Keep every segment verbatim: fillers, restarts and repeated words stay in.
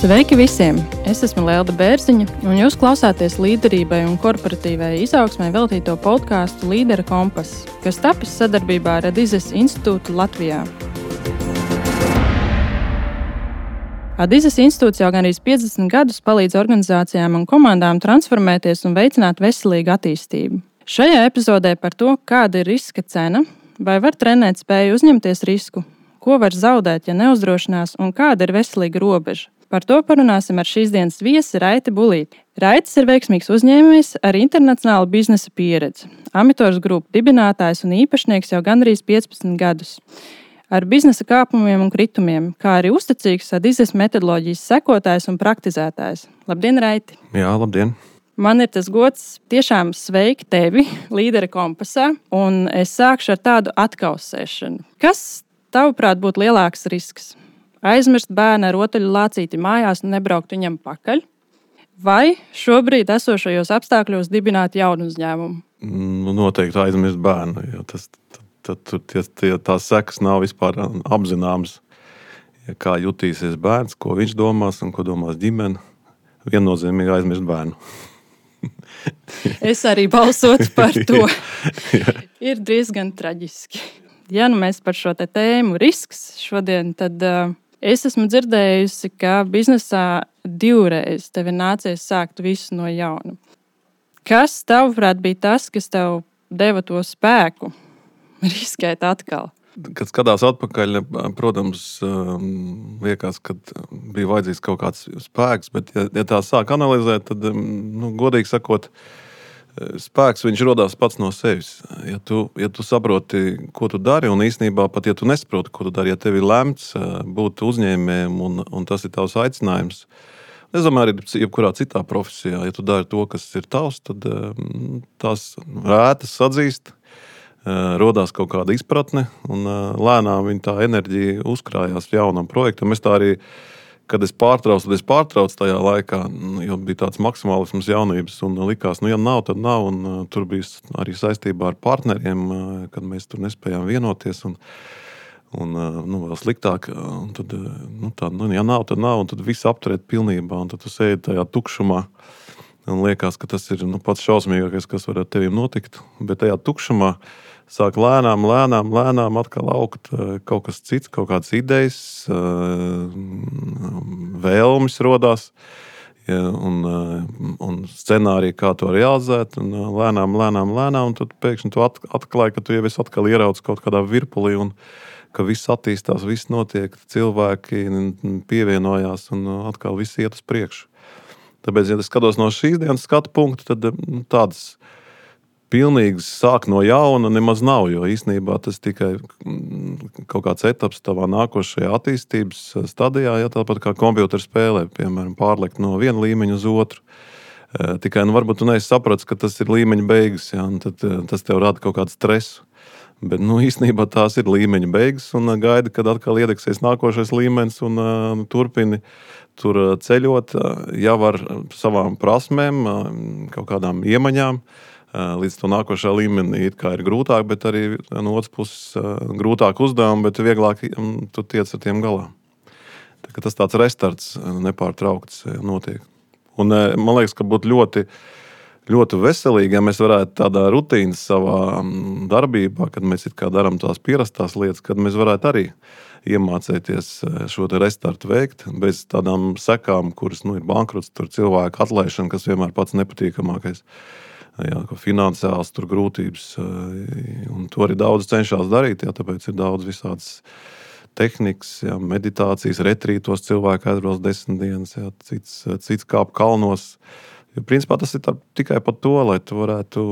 Sveiki visiem! Es esmu Lelda Bērziņa, un jūs klausāties līderībai un korporatīvai izaugsmai veltīto podkāstu Līdera kompass, kas tapis sadarbībā ar Adizes institūtu Latvijā. Adizes institūts jau gandrīz piecdesmit gadus palīdz organizācijām un komandām transformēties un veicināt veselīgu attīstību. Šajā epizodē par to, kāda ir riska cena, vai var trenēt spēju uzņemties risku, ko var zaudēt, ja neuzdrošinās, un kāda ir veselīga robeža. Par to parunāsim ar šīs dienas viesi Raiti Bulīti. Raitis ir veiksmīgs uzņēmējs ar internacionālu biznesa pieredzi. Amitors grupu dibinātājs un īpašnieks jau gandrīz piecpadsmit gadus. Ar biznesa kāpumiem un kritumiem, kā arī uzticīgs Adizes metodoloģijas sekotājs un praktizētājs. Labdien, Raiti! Jā, labdien! Man ir tas gods tiešām sveikt tevi Līdera kompasā, un es sākšu ar tādu atkausēšanu. Kas, tavuprāt, būtu lielāks risks? Aizmirst bērnu ar rotaļu lācīti mājās un nebraukt viņam pakaļ? Vai šobrīd esošajos apstākļos dibināt jaunu uzņēmumu? Nu, noteikti aizmirst bērnu, jo tas, tad, tad, tie, tie, tās sekas nav vispār apzināmas. Ja kā jutīsies bērns, ko viņš domās un ko domās ģimene, viennozīmīgi aizmirst bērnu. Es arī balsotu par to. Ir diezgan traģiski. Ja nu mēs par šo te tēmu risks šodien, tad uh, es esmu dzirdējusi, ka biznesā divreiz tev ir nācies sākt visu no jauna. Kas, tavuprāt, bija tas, kas tev deva to spēku riskēt atkal? Kad skatās atpakaļ, protams, liekas, ka bija vajadzīgs kaut kāds spēks, bet ja, ja tā sāk analizēt, tad, nu, godīgi sakot, spēks viņš rodās pats no sevis. Ja tu, ja tu saproti, ko tu dari, un īstenībā pat, ja tu nesaproti, ko tu dari, ja tev ir lemts būt uzņēmējiem, un, un tas ir tavs aicinājums, es domāju, arī jebkurā citā profesijā, ja tu dari to, kas ir tavs, tad tās rētas sadzīst, rodās kaut kāda izpratne, un lēnām viņa tā enerģija uzkrājās jaunam projektam. Es tā arī Kad es pārtraucu, tad es pārtraucu tajā laikā, jo bija tāds maksimālisms jaunības, un likās, nu, ja nav, tad nav, un uh, tur bija arī saistībā ar partneriem, uh, kad mēs tur nespējām vienoties, un, un uh, nu, vēl sliktāk, un tad, uh, nu, tā, nu, ja nav, tad nav, un tad viss apturēt pilnībā, un tad tu sēdi tajā tukšumā, un liekas, ka tas ir, nu, pats šausmīgākais, kas var ar tevim notikt, bet tajā tukšumā sāk lēnām, lēnām, lēnām atkal augt kaut kas cits, kaut kādas idejas, vēlmes rodās, ja, un, un scenārija, kā to realizēt, un lēnām, lēnām, lēnām, un tad pēkšņi tu atklāji, ka tu jau esi atkal ieraudzis kaut kādā virpulī, un ka viss attīstās, viss notiek, cilvēki pievienojās, un atkal viss iet uz priekšu. Tāpēc, ja es skatos no šīs dienas skatu punktu, tad nu, tādas pilnīgs sāk no jauna nemaz nav, jo īstenībā tas tikai kaut kāds etaps tavā nākošajā attīstības stadijā, ja tāpat kā kompjūtera spēlē, piemēram, pārlekt no viena līmeņa uz otru. Tikai, nu, varbūt tu neesi sapratis, ka tas ir līmeņa beigas, ja, un tad tas tev rada kaut kādu stresu. Bet, nu, īstenībā tās ir līmeņa beigas, un gaidi, kad atkal iedegsies nākošais līmenis, un uh, turpini tur ceļot, jau ar savām prasmēm, kaut kādām iemaņām, līdz to nākošā līmenī it kā ir grūtāk, bet arī no otras puses grūtāk uzdevumi, bet vieglāk tu tiec ar tiem galā. Tā, ka tas tāds restarts nepārtraukts notiek. Un man liekas, ka būtu ļoti, ļoti veselīgi, ja mēs varētu tādā rutīnas savā darbībā, kad mēs it kā darām tās pierastās lietas, kad mēs varētu arī iemācēties šo te restartu veikt, bez tādām sekām, kuras nu, ir bankrots, tur cilvēku atlaišana, kas vienmēr pats nepatīkamākais. Jā, finansiāls tur grūtības, un to arī daudz cenšas darīt, jā, tāpēc ir daudz visādas tehnikas, jā, meditācijas, retrītos cilvēki aizbrauc desmit dienas, jā, cits, cits kāp kalnos. Jo, principā tas ir tā, tikai par to, lai tu varētu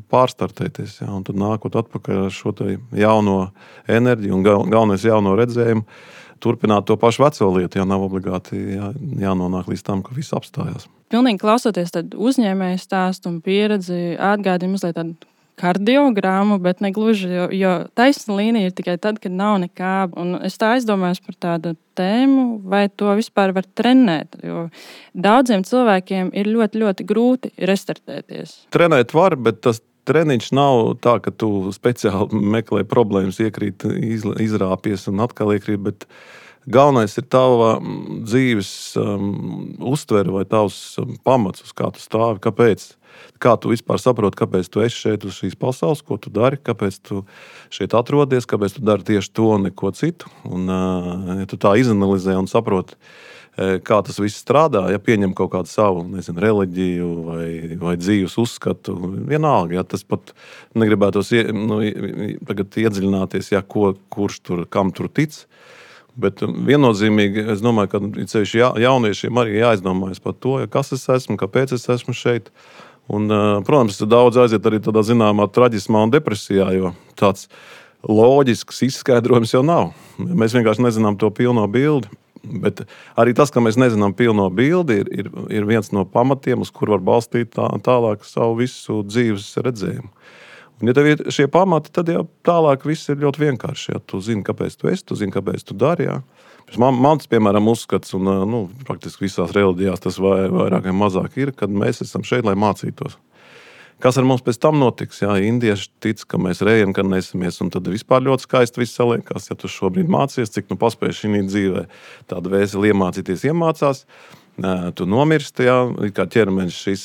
pārstartēties, jā, un tad nākot atpakaļ ar šo te jauno enerģiju un galvenais jauno redzējumu, turpināt to pašu veco lietu, ja nav obligāti jā, jānonāk līdz tam, ka viss apstājās. Pilnīgi klausoties tad uzņēmēju stāstu un pieredzi, atgādina mazliet tādu kardiogrammu, bet ne gluži, jo, jo taisna līnija ir tikai tad, kad nav nekā. Un es tā aizdomājos par tādu tēmu, vai to vispār var trenēt, jo daudziem cilvēkiem ir ļoti, ļoti grūti restartēties. Trenēt var, bet tas treniņš nav tā, ka tu speciāli meklē problēmas, iekrīt, izrāpies un atkal iekrīt, bet galvenais ir tava dzīves um, uztvere vai tavs um, pamats, uz kā tu stāvi, kāpēc. Kā tu vispār saproti, kāpēc tu esi šeit uz šīs pasaules, ko tu dari, kāpēc tu šeit atrodies, kāpēc tu dari tieši to un neko citu. Un, ja tu tā izanalizē un saproti, kā tas viss strādā, ja pieņem kaut kādu savu, nezinu, reliģiju vai, vai dzīves uzskatu, vienalga, ja tas pat negribētos ie, nu, tagad iedziļināties, ja ko, kurš tur, kam tur tic. Bet viennozīmīgi, es domāju, ka ceļš jauniešiem arī jāizdomājas par to, ja kas es esmu, kāpēc es esmu šeit. Un, protams, daudz aiziet arī tādā zināmā traģismā un depresijā, jo tāds loģisks izskaidrojums jau nav. Mēs vienkārši nezinām to pilno bildi. Bet arī tas, ka mēs nezinām pilno bildi, ir, ir, ir viens no pamatiem, uz kur var balstīt tā, tālāk savu visu dzīves redzējumu. Un, ja tev ir šie pamati, tad jau tālāk viss ir ļoti vienkārši. Ja tu zini, kāpēc tu esi, tu zini, kāpēc tu dari. Ja. Man, mans, piemēram, uzskats, un nu, praktiski visās reliģijās tas vai, vairāk vai mazāk ir, kad mēs esam šeit, lai mācītos. Kas ar mums pēc tam notiks? Jā, indieši tic, ka mēs reinkarnēsimies, un tad vispār ļoti skaisti viss saliekās. Ja tu šobrīd mācies, cik nu paspēji šī dzīvē tādu vēseli iemācīties, iemācās, tu nomirsti, jā, kā ķermenis šis,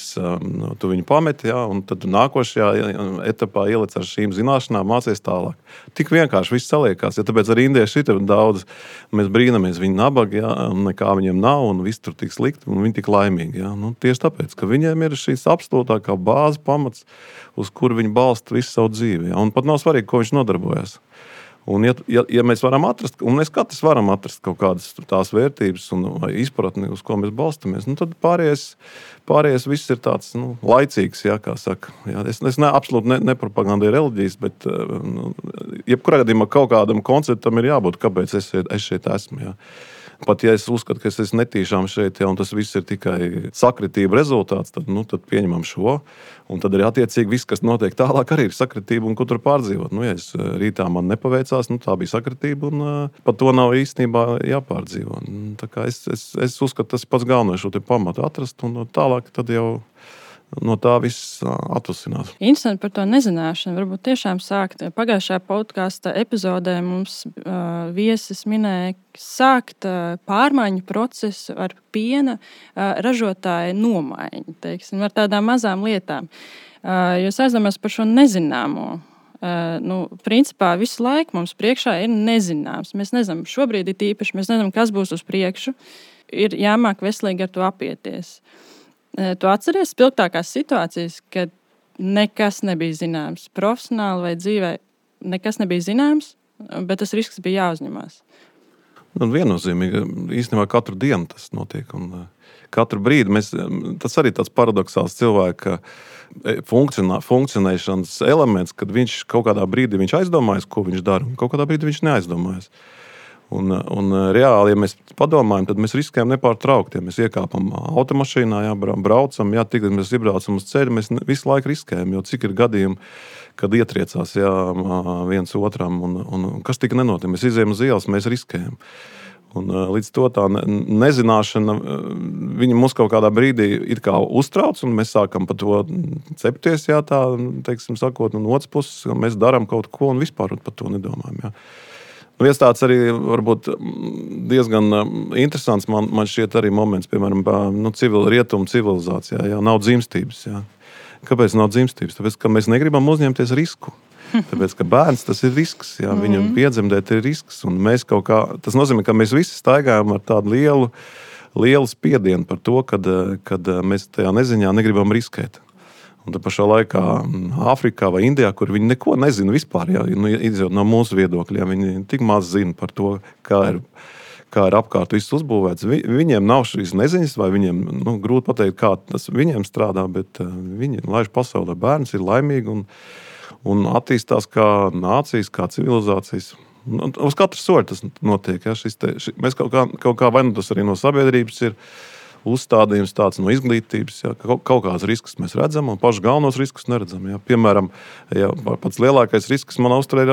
tu viņu pameti, jā, un tad tu nākošajā etapā ielic ar šīm zināšanām, mācies tālāk. Tik vienkārši viss saliekās, ja tāpēc arī indieši ir daudz, mēs brīnamies, viņi nabagi, jā, un nekā viņiem nav, un viss tur tik slikti, un viņi tik laimīgi, jā. Nu, tieši tāpēc, ka viņiem ir šīs absolūtākā bāze pamats, uz kuru viņi balsta visu savu dzīvi, jā, un pat nav svarīgi, ko viņš nodarbojas. Un ja, ja, ja mēs varam atrast, un mēs katrs varam atrast kaut kādas tās vērtības un vai izpratni, uz ko mēs balstamies, nu tad pārējais, pārējais viss ir tāds, nu, laicīgs, jā, kā saka. Jā, es es ne, absolūti ne, nepropagandēju reliģijas, bet nu, jebkurā gadījumā kaut kādam konceptam ir jābūt, kāpēc es šeit, es šeit esmu, jā. Pat ja es uzskatu, ka es esmu netīšām šeit, ja, un tas viss ir tikai sakritība rezultāts, tad, nu, tad pieņemam šo. Un tad arī attiecīgi viss, kas notiek tālāk, arī ir sakritība un ko tur pārdzīvot. Nu, ja es rītā man nepaveicās, nu, tā bija sakritība un uh, pat to nav īstenībā jāpārdzīvo. Tā kā es, es, es uzskatu, tas pats galvenais šo te pamatu atrast un tālāk tad jau no tā viss atvasinās. Interesanti par to nezināšanu. Varbūt tiešām sākt. Pagājušajā podkāsta epizodē mums uh, viesis minēja sākt uh, pārmaiņu procesu ar piena uh, ražotāju nomaiņu, teiksim, ar tādām mazām lietām. Uh, jūs aizdomās par šo nezināmo. Uh, nu, principā visu laiku mums priekšā ir nezināms. Mēs nezinām, šobrīd ir īpaši, mēs nezinām, kas būs uz priekšu. Ir jāmāk veselīgi ar to apieties. Tu atceries spilgtākās situācijas, kad nekas nebija zināms. Profesionāli vai dzīvē nekas nebija zināms, bet tas risks bija jāuzņemās. Nu, viennozīmīgi, īstenībā katru dienu tas notiek. Un katru brīdi mēs, tas arī tāds paradoxāls cilvēka funkcionā, funkcionēšanas elements, kad viņš kaut kādā brīdī viņš aizdomājas, ko viņš dara, un kaut kādā brīdī viņš neaizdomājas. Un, un reāli, ja mēs padomājam, tad mēs riskējam nepārtraukti. Ja mēs iekāpam automašīnā, jā, braucam, jā, tik, mēs iebraucam uz ceļu, mēs visu laiku riskējam, jo cik ir gadījumi, kad ietriecās jā, viens otram, un, un kas tika nenotiek. Mēs izējam uz ielas, mēs riskējam. Un līdz to tā nezināšana, viņa mums kaut kādā brīdī ir kā uztrauc, un mēs sākam par to cepties, jā, tā, teiksim, sakot, un otrs puses, mēs darām kaut ko, un vispār par to nedomājam, jā. Viens tāds arī varbūt diezgan interesants man, man šķiet arī moments, piemēram, nu, civil, rietumu civilizācijā, jā, nav dzimstības. Jā. Kāpēc nav dzimstības? Tāpēc, ka mēs negribam uzņemties risku. Tāpēc, ka bērns tas ir risks, jā, viņam piedzemdēt ir risks. Un mēs kaut kā, tas nozīmē, ka mēs visi staigājam ar tādu lielu, lielu spiedienu par to, kad, kad mēs tajā neziņā negribam riskēt. Un tad pašā laikā Āfrikā vai Indijā, kur viņi neko nezina vispār, ja, nu, izjūt no mūsu viedokļa, ja, viņi tik maz zina par to, kā ir, kā ir apkārt viss uzbūvēts. Vi, viņiem nav šīs neziņas, vai viņiem, nu, grūti pateikt, kā tas viņiem strādā, bet uh, viņi laiž pasaulē, bērns ir laimīgi un, un attīstās kā nācijas, kā civilizācijas. Un uz katru soļu tas notiek. Ja, šis te, šis, mēs kaut kā, kaut kā vai nu tas arī no sabiedrības ir uzstādījums tāds no izglītības, jā, ka kaut kādas riskus mēs redzam un pašus galvenos riskus neredzam. Jā. Piemēram, jā, pats lielākais risks manā uzturē ir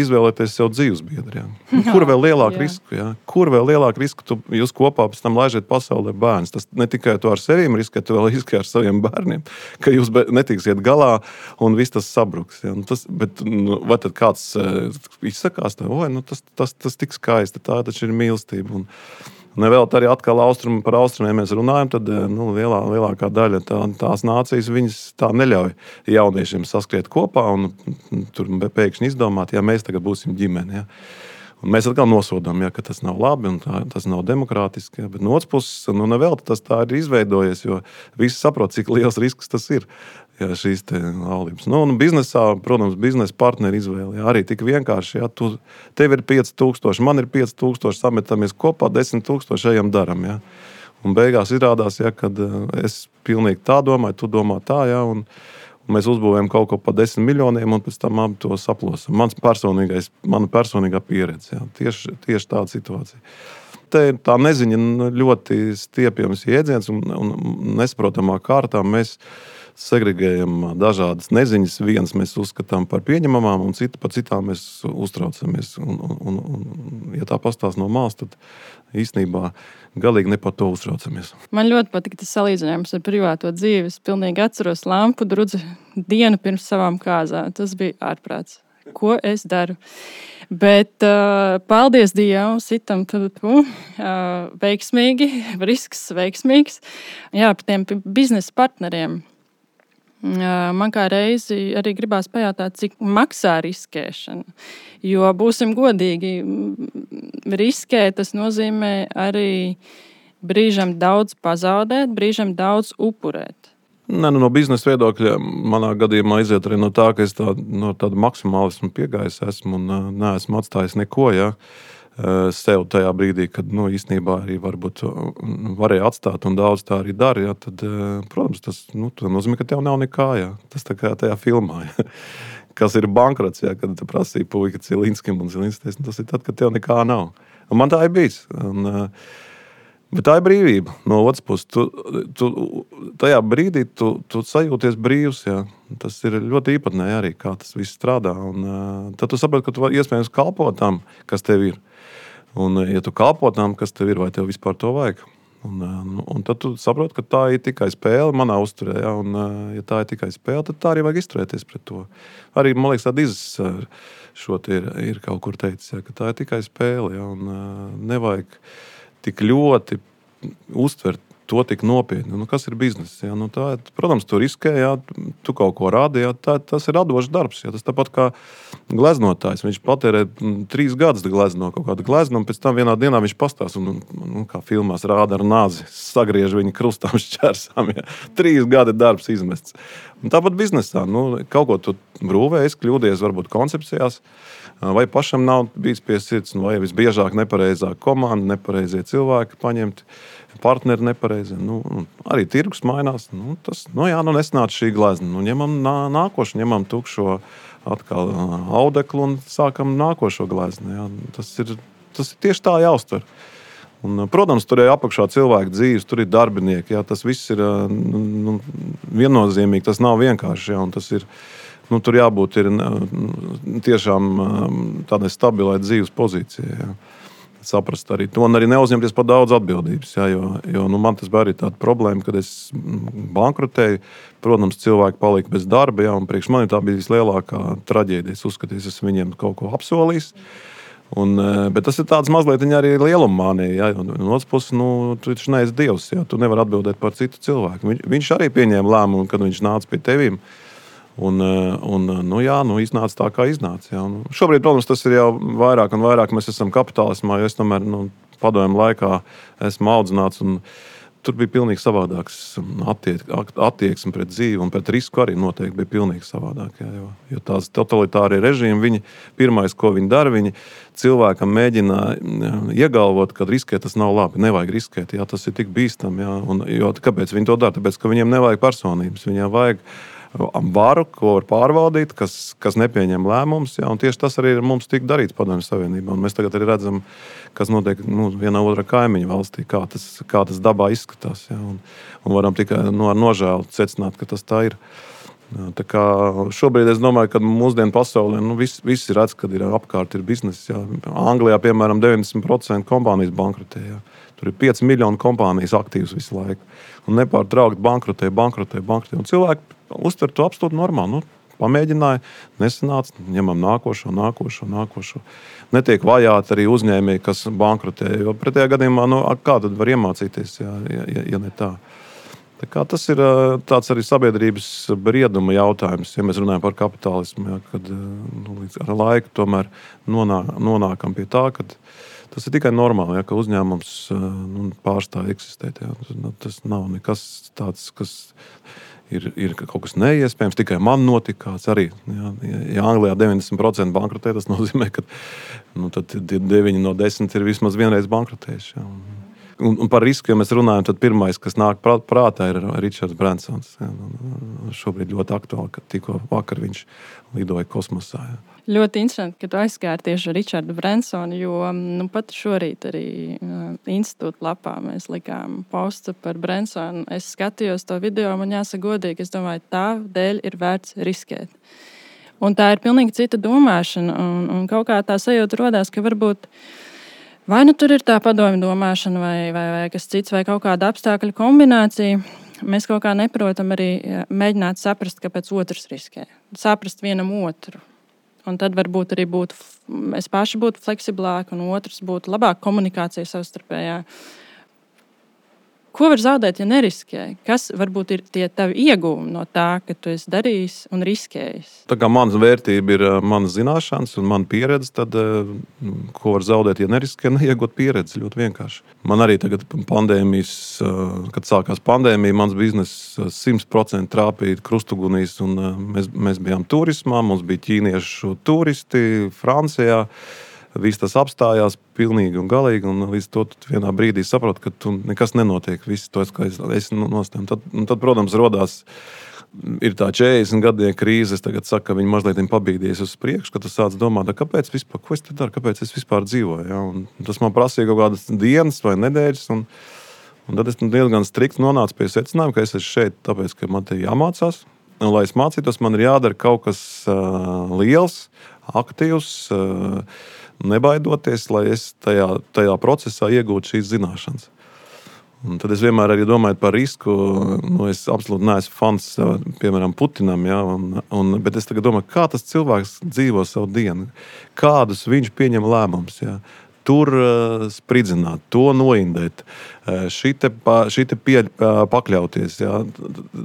izvēlēties sev dzīvesbiedri. Jā. Kur vēl lielāku risku? Jā? Kur vēl lielāku risku tu, jūs kopā pēc tam laižiet pasaulē bērns? Tas ne tikai tu ar sevīm riskē, tu vēl riskē ar saviem bērniem, ka jūs netiksiet galā un viss tas sabruks. Jā. Tas, bet nu, vai tad kāds izsakās, tā, oi, nu, tas, tas, tas tik skaisti, tā taču ir mīlestība. Un, Nevēl arī atkal austrumi par austrumiem mēs runājam, tad nu, lielā, lielākā daļa tā, tās nācijas viņas tā neļauj jauniešiem saskriet kopā un tur pēkšņi izdomāt, ja mēs tagad būsim ģimene. Ja. Un mēs atkal nosodām, ja, ka tas nav labi un tā, tas nav demokrātiski. Ja. Bet no otras puses, nu, nevēl tas tā ir izveidojies, jo visi saprot, cik liels risks tas ir. Jā, šīs te laulības. Nu, un biznesā, protams, biznesa partneri izvēle. Jā, arī tik vienkārši. Jā, tu, tev ir pieci tūkstoši, man ir pieci tūkstoši, sametamies kopā, desmit tūkstoši ejam daram. Jā. Un beigās izrādās, jā, kad es pilnīgi tā domāju, tu domā tā, jā, un, un mēs uzbūvējam kaut ko pa desmit miljoniem un pēc tam abi to saplosam. Mans personīgais, mana personīgā pieredze. Jā. Tieši, tieši tāda situācija. Te ir tā neziņa ļoti stiepjams jēdziens un, un nesaprotamā kārtā mēs segregējam dažādas neziņas. Vienas mēs uzskatām par pieņemamām, un citu, par citām mēs uztraucamies. Un, un, un, un, ja tā pastāst no malas, tad īstenībā galīgi ne par to uztraucamies. Man ļoti patika tas salīdzinājums ar privāto dzīvi. Es pilnīgi atceros lampu drudzi dienu pirms savām kāzām. Tas bija ārprāts. Ko es daru? Bet uh, paldies Dievam, sitam uh, veiksmīgi, risks veiksmīgs. Jā, par tiem biznesa partneriem. Man kā reizi arī gribās pajautāt, cik maksā riskēšana. Jo, būsim godīgi, riskēt tas nozīmē arī brīžam daudz pazaudēt, brīžam daudz upurēt. Ne, nu, no biznesa viedokļa manā gadījumā aiziet arī no tā, ka es tā, no tādu maksimālismu piegājis esmu un neesmu atstājis neko, ja. Sev tajā brīdī, kad nu, īstenībā arī varbūt varēja atstāt un daudz tā arī dara, ja, tad, protams, tas nu, nozīmē, ka tev nav nekā. Ja. Tas tā kā tajā filmā, ja. Kas ir bankrots, ja, kad te prasīja puika Cilinskim un Cilinskim, tas ir tad, kad tev nekā nav. Un man tā ir bijis. Un, bet tā ir brīvība. No otras puses, tu, tu, tajā brīdī tu, tu sajūties brīvs. Ja. Tas ir ļoti īpatnēji arī, kā tas viss strādā. Un, tad tu saproti, ka tu vari iespējams kalpot tam, kas tev ir. Un, ja tu kalpo tam, kas tev ir, vai tev vispār to vajag. Un, un tad tu saproti, ka tā ir tikai spēle manā uzturē. Ja, un, ja tā ir tikai spēle, tad tā arī vajag izturēties pret to. Arī, man liekas, tā Dizes šo ir, ir kaut kur teicis, ja, ka tā ir tikai spēle. Ja, un nevajag tik ļoti uztvert to tik nopietni. Nu, kas ir bizness? Ja? Nu, tā, protams, tu riskē, ja? Tu kaut ko rādi, ja? tā, tas ir radošs darbs. Ja? Tas tāpat kā gleznotājs. Viņš patērē trīs gadus glezno kaut kādu gleznu, un pēc tam vienā dienā viņš pastās, un, un kā filmās rāda ar nāzi, sagriež viņu krustām šķērsām. Ja? Trīs gadi darbs izmests. Un tāpat biznesā. Nu, kaut ko tu brūvējies, kļūdies varbūt koncepcijās, vai pašam nav bijis pie sirds, vai visbiežāk nepareizā komanda, nepareizie cilvēki paņemti, partneri nepareizi. Nu, arī tirgus mainās. Nu, tas, nu jā, nu nesnāca šī glezna. Nu, ņemam nā, nākošu, ņemam tukšo atkal audeklu un sākam nākošo gleznu. Jā. Tas ir, tas ir tieši tā jāuztver. Un, protams, tur ir apakšā cilvēku dzīves, tur ir darbinieki. Jā. Tas viss ir nu, viennozīmīgi, tas nav vienkārši. Jā, un tas ir, nu, tur jābūt ir tiešām tādai stabilai dzīves pozīcijai. Jā. Saprast arī to un arī neuzņemties par daudz atbildības. Jā, jo, jo nu, man tas bija arī tāda problēma, kad es bankrotēju. Protams, cilvēki palika bez darba, jā, un priekš mani tā bija vislielākā traģēdija. Es uzskatīju, es esmu viņiem kaut ko apsolījis. Un, bet tas ir tāds mazliet arī lielumānija. Ja? No otras puses, nu, tu taču neesi Dievs. Ja? Tu nevari atbildēt par citu cilvēku. Viņš, viņš arī pieņēma lēmumu, kad viņš nāca pie tevīm. Un, un, nu, jā, nu, iznāca tā, kā iznāca. Jā. Un šobrīd, protams, tas ir jau vairāk un vairāk. Mēs esam kapitālismā, jo es tomēr nu, padomju laikā esmu audzināts. Un tur bija pilnīgi savādāks attiek, attieksme pret dzīvi un pret risku arī noteikti bija pilnīgi savādāk. Jā, jo, jo tās totalitārie režīmi, viņi, pirmais, ko viņi dara, viņi cilvēkam mēģina iegalvot, ka riskēt tas nav labi, nevajag riskēt, jā, tas ir tik bīstam. Jā, un, jo, kāpēc viņi to dara? Tāpēc, ka viņiem nevajag personības, viņiem vajag varu, ko var pārvaldīt, kas, kas nepieņem lēmumus. Ja, un tieši tas arī ir mums tika darīts Padomju Savienībā. Un mēs tagad arī redzam, kas notiek nu, vienā otrā kaimiņu valstī, kā tas, kā tas dabā izskatās. Ja, un, un varam tikai no, ar nožēlu secināt, ka tas tā ir. Ja, tā kā šobrīd es domāju, ka mūsdienu pasaulē nu, viss vis ir redz, kad ir apkārt ir bizness. Ja. Anglijā, piemēram, deviņdesmit procenti kompānijas bankrotē. Ja. Tur ir pieci miljoni kompānijas aktīvas visu laiku. Un nepārtraukti bankrotē, bankrotē, bankrotē. Un cilvēki uztver to absolūti normāli. Nu, pamēģināja, nesanāca, ņemam nākošo, nākošo, nākošo. Netiek vajāti arī uzņēmēji, kas bankrotē. Jo pretējā gadījumā, nu, kā tad var iemācīties, ja, ja, ja ne tā? Tā kā tas ir tāds arī sabiedrības brieduma jautājums, ja mēs runājam par kapitālismu, ja, kad nu, līdz ar laiku tomēr nonāk, nonākam pie tā, kad tas ir tikai normāli, ja, ka uzņēmums nu, pārstāv eksistēt. Ja. Tas nav nekas tāds, kas ir, ir kaut kas neiespējams, tikai man notikās arī. Ja, ja Anglijā deviņdesmit procenti bankrotē, tas nozīmē, ka nu, deviņi no desmit ir vismaz vienreiz bankrotējuši. Ja. Un, un par risku, ja mēs runājam, tad pirmais, kas nāk prātā, ir Richards Bransons. Ja. Šobrīd ļoti aktuāli, ka tikko vakar viņš lidoja kosmosā. Ja. Ļoti interesanti, ka tu aizskāri tieši ar Richardu Bransonu, jo nu, pat šorīt arī uh, institūta lapā mēs likām postu par Bransonu. Es skatījos to video, man jāsaka godīgi, es domāju, tā dēļ ir vērts riskēt. Un tā ir pilnīgi cita domāšana, un, un kaut kā tā sajūta rodās, ka varbūt vai nu tur ir tā padomju domāšana, vai, vai, vai kas cits, vai kaut kāda apstākļu kombinācija. Mēs kaut kā neprotam arī mēģināt saprast, kāpēc otrs riskē. Saprast vienam otru. Un tad varbūt arī būtu, mēs paši būtu fleksiblāki, un otrs būtu labāka komunikācija savstarpējā. Ko var zaudēt, ja neriskē? Kas varbūt ir tie tavi ieguvumi no tā, ka tu esi darījis un riskējis? Tā kā mana vērtība ir mana zināšanas un mana pieredze, tad ko var zaudēt, ja neriskē, neiegūt pieredzi ļoti vienkārši. Man arī tagad pandēmijas, kad sākās pandēmija, mans bizness simt procenti trāpīja krustugunīs, un mēs, mēs bijām turismā, mums bija ķīniešu turisti Francijā. Viss tas apstājās pilnīgi un galīgi, un līdz to vienā brīdī saproti, ka tu nekas nenotiek. Viss to, ka es, es nostāju. Tad, tad, protams, rodās ir tā četrdesmit gadie krīze. Es tagad saku, ka viņi mazliet pabīdies uz priekšu, ka tu sāc domāt, kāpēc vispār, ko es te daru, kāpēc es vispār dzīvoju. Ja? Un tas man prasīja kaut kādas dienas vai nedēļas, un, un tad es diezgan strikti nonācu pie secinājuma, ka es esmu šeit, tāpēc, ka man te jāmācās. Un, lai es mācītos, man ir jādara kaut kas uh, liels, aktīvs, uh, nebaidoties, lai es tajā, tajā procesā iegūtu šīs zināšanas. Un tad es vienmēr arī domāju par risku. Nu, es absolūti neesmu fans, piemēram, Putinam, ja, un, un, bet es tagad domāju, kā tas cilvēks dzīvo savu dienu, kādus viņš pieņem lēmumus. Ja. Tur uh, spridzināt, to noindēt, uh, šite, pa, šite pie, uh, pakļauties. Ja.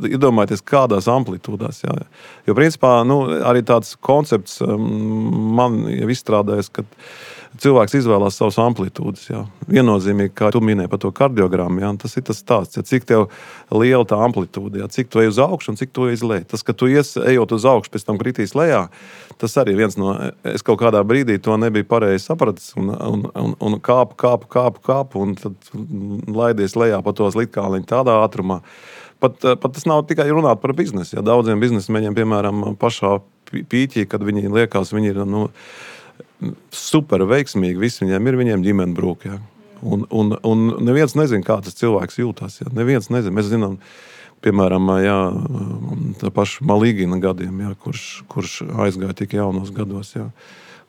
Iedomājieties, kādās amplitūdās. Ja. Jo, principā, nu, arī tāds koncepts um, man jau izstrādājas, ka cilvēks izvēlās savas amplitūdas. Ja. Viennozīmīgi, kā tu minēji par to kardiogrammu, ja, tas ir tas stāsts. Ja, cik tev liela tā amplitūda, ja, cik tu ej uz augšu un cik tu ej uz leju. Tas, ka tu ies, ejot uz augšu, pēc tam kritīs lejā, tas arī viens no, es kaut kādā brīdī to nebiju pareizi sapratis, un, un, un, un kāpu, kāpu, kāpu, kāpu, un tad laidies lejā pa tos litkāliņu tādā ātrumā. Pat, pat tas nav tikai runāt par biznesu. Ja. Daudziem biznesmeņiem, piemēram, pašā pīķī, kad viņi liekas, viņi ir nu, super veiksmīgi, viss viņiem ir, viņiem ģimene brūk. Ja. Un, un, un neviens nezin, kā tas cilvēks jūtās. Ja. Neviens nezin. Mēs zinām, piemēram, jā, tā paša Malīgina gadiem, jā, kurš, kurš aizgāja tik jaunos gados. Jā.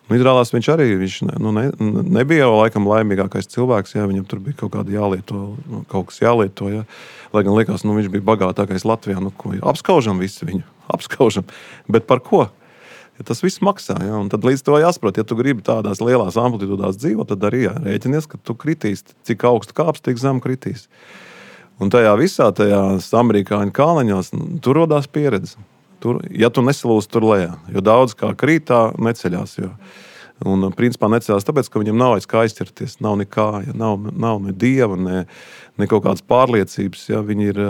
Un izrādās viņš arī viņš ne, nu, ne, nebija jau laikam laimīgākais cilvēks, jā, viņam tur bija kaut kāda jālieto, kaut kas jālieto, jā. Lai gan likās, nu, viņš bija bagātākais Latvijā, nu, ko, apskaužam visu viņu, apskaužam, bet par ko? Ja tas viss maksā, jā, un tad līdz to jāsaprot, ja tu gribi tādās lielās amplitūdās dzīvot, tad arī jā, rēķinies, ka tu kritīs, cik augstu kāps, tik zem kritīs. Un tajā visā, tajās amerikāņu kālaņos, tur rodās pieredze. Tur, ja tu nesalūsi tur lejā, jo daudz kā krītā neceļās. Jo. Un principā neceļās tāpēc, ka viņam nav aiz kā aizķerties, nav nekā, ja, nav, nav ne dieva, ne, ne kaut kādas pārliecības. Ja, viņi ir,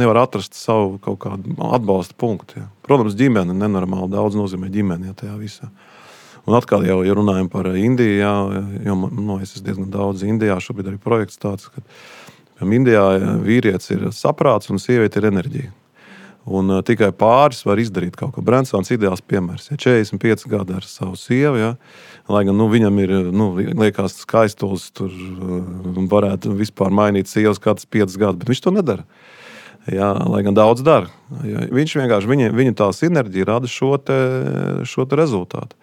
nevar atrast savu kaut kādu atbalsta punktu. Ja. Protams, ģimene nenormāli daudz nozīmē ģimeni, ja, tajā visā. Un atkal jau, ja runājam par Indiju, jā, jo nu, es esmu diezgan daudz Indijā, šobrīd arī projekts tāds, ka Indijā vīrietis ir saprāts un sieviete ir enerģija. Un uh, tikai pāris var izdarīt kaut ko. Bransons ideāls piemērs. Ja četrdesmit pieci gadi ar savu sievu, ja, lai gan nu, viņam ir, nu, liekas, skaistulis, tur uh, varētu vispār mainīt sievas kāds piecus gadus, bet viņš to nedara. Ja, lai gan daudz dara. Ja, viņš vienkārši, viņa, viņa tā sinerģija rada šo, te, šo te rezultātu.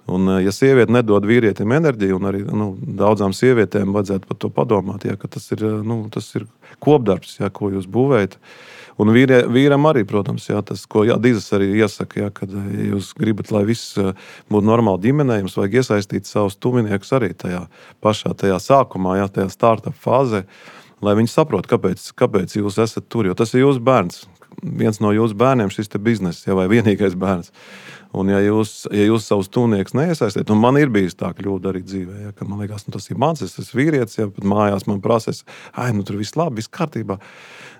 Un, ja sieviete nedod vīrietim enerģiju, un arī nu, daudzām sievietēm vajadzētu par to padomāt, ja, ka tas ir, nu, tas ir kopdarbs, ja, ko jūs būvējat. Un vīrie, vīram arī, protams, ja, tas, ko jā, Dizas arī iesaka, ja, kad ja jūs gribat, lai viss būtu normāli ģimenē, jums vajag iesaistīt savus tuviniekus arī tajā pašā tajā sākumā, ja, tajā startup fāzē, lai viņi saprot, kāpēc, kāpēc jūs esat tur, jo tas ir jūsu bērns. Viens no jūsu bērniem šis te bizness, ja, vai vienīgais bērns. Un ja jūs, ja jūs savus tuvniekus neiesaistāt, un man ir bijis tā kļūda arī dzīvē, ja, ka man liekas, nu, tas ir mans, es esmu vīrietis, ja, pat mājās man prasa, ai, nu tur viss labi, viss kārtībā.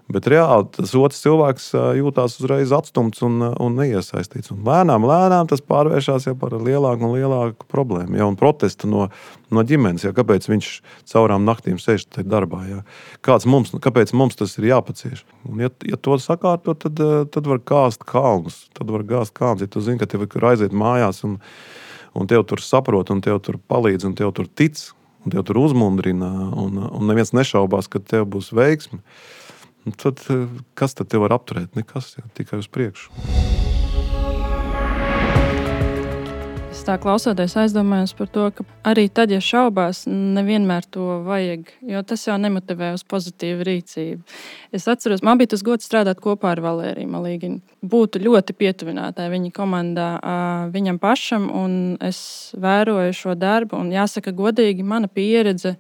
Bet reāli tas otrs cilvēks jūtās uzreiz atstumts un, un neiesaistīts. Un lēnām, lēnām tas pārvēršās jau par lielāku un lielāku problēmu. Ja, un protestu no, no ģimenes, ja, kāpēc viņš caurām naktīm sēž tajā darbā. Ja. Kāds mums, kāpēc mums tas ir jāpacieš? Un ja, ja to sakārto, tad, tad var kāst kalnus. Tad var gāzt kalnus, ja tu zini, ka tev ir aiziet mājās un, un tev tur saprot, un tev tur palīdz, un tev tur tic, un tev tur uzmundrina, un, un neviens nešaubās, ka tev būs veiksme. Tad, kas tad te var apturēt? Nekas, jā, tikai uz priekšu. Es tā klausoties aizdomājos par to, ka arī tad, ja šaubās, nevienmēr to vajag, jo tas jau nemotivē uz pozitīvu rīcību. Es atceros, man bija tas gods strādāt kopā ar Valēriju Malīginu. Būtu ļoti pietuvinātāji viņa komandā viņam pašam, un es vēroju šo darbu, un jāsaka godīgi, mana pieredze